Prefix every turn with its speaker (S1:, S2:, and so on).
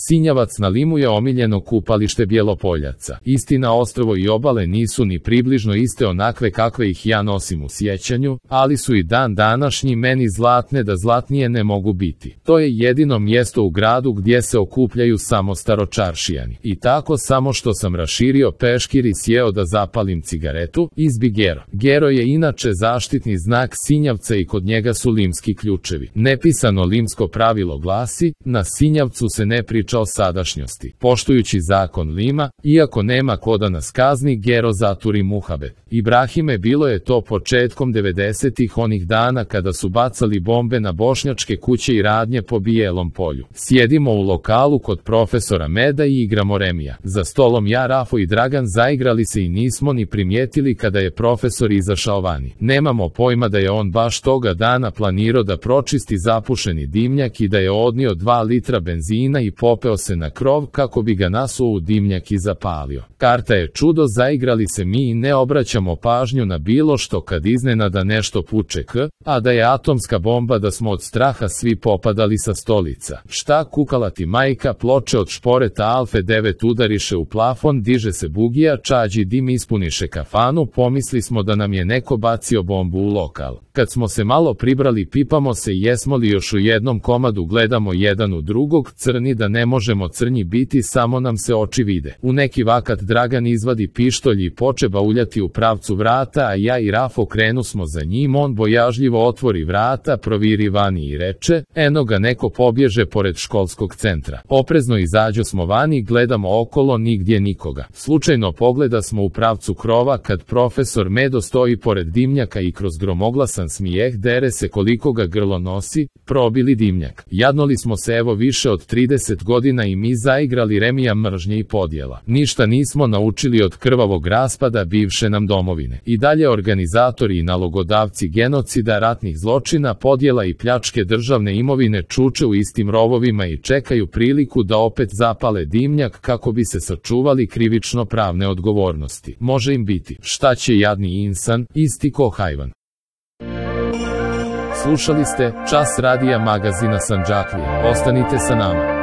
S1: Sinjavac na Limu je omiljeno kupalište Bjelopoljaca. Istina, ostrvo i obale nisu ni približno iste onakve kakve ih ja nosim u sjećanju, ali su i dan današnji meni zlatne da zlatnije ne mogu biti. To je jedino mjesto u gradu gdje se okupljaju samo staročaršijani. I tako samo što sam raširio peškir i sjeo da zapalim cigaretu, izbi Gero. Gero je inače zaštitni znak Sinjavca i kod njega su limski ključevi. Nepisano limsko pravilo glasi, na Sinjavcu se ne priča o sadašnjosti. Poštujući zakon Lima, iako nema ko da nas kazni, Gero zaturi muhabet. Ibrahime, bilo je to početkom 90-ih, onih dana kada su bacali bombe na bošnjačke kuće i radnje po Bijelom polju. Sjedimo u lokalu kod profesora Meda i igramo remija. Za stolom ja, Rafo i Dragan zaigrali se i nismo ni primijetili kada je profesor izašao vani. Nemamo pojma da je on baš toga dana planirao da pročisti zapušeni dimnjak i da je odnio 2 litra benzina i popeo se na krov kako bi ga nasuo u dimnjak i zapalio. Karta je čudo, zaigrali se mi i ne obraćamo pažnju na bilo što kad iznenada nešto puče a da je atomska bomba, da smo od straha svi popadali sa stolica. Šta, kukala ti majka, ploče od šporeta Alfe 9 udariše u plafon, diže se bugija, čađi dim ispuniše kafanu, pomisli smo da nam je neko bacio bombu u lokal. Kad smo se malo pribrali, pipamo se jesmo li još u jednom komadu, gledamo jedan u drugog, crni da ne možemo crnji biti, samo nam se oči vide. U neki vakat Dragan izvadi pištolj i poče bauljati u pravcu vrata, a ja i Rafo krenu smo za njim, on bojažljivo otvori vrata, proviri vani i reče, eno ga neko pobježe pored školskog centra. Oprezno izađo smo vani, gledamo okolo, nigdje nikoga. Slučajno pogleda smo u pravcu krova kad profesor Medo stoji pored dimnjaka i kroz gromoglasan smijeh dere se koliko ga grlo nosi, probili dimnjak. Jadnoli smo se evo više od 30 godina i mi zaigrali remija mržnje i podjela. Ništa nismo naučili od krvavog raspada bivše nam domovine. I dalje organizatori i nalogodavci genocida, ratnih zločina, podjela i pljačke državne imovine čuče u istim rovovima i čekaju priliku da opet zapale dimnjak kako bi se sačuvali krivično pravne odgovornosti. Može im biti, šta će jadni insan, isti ko hajvan. Slušali ste Čas radija magazina Sandžaklija. Ostanite sa nama.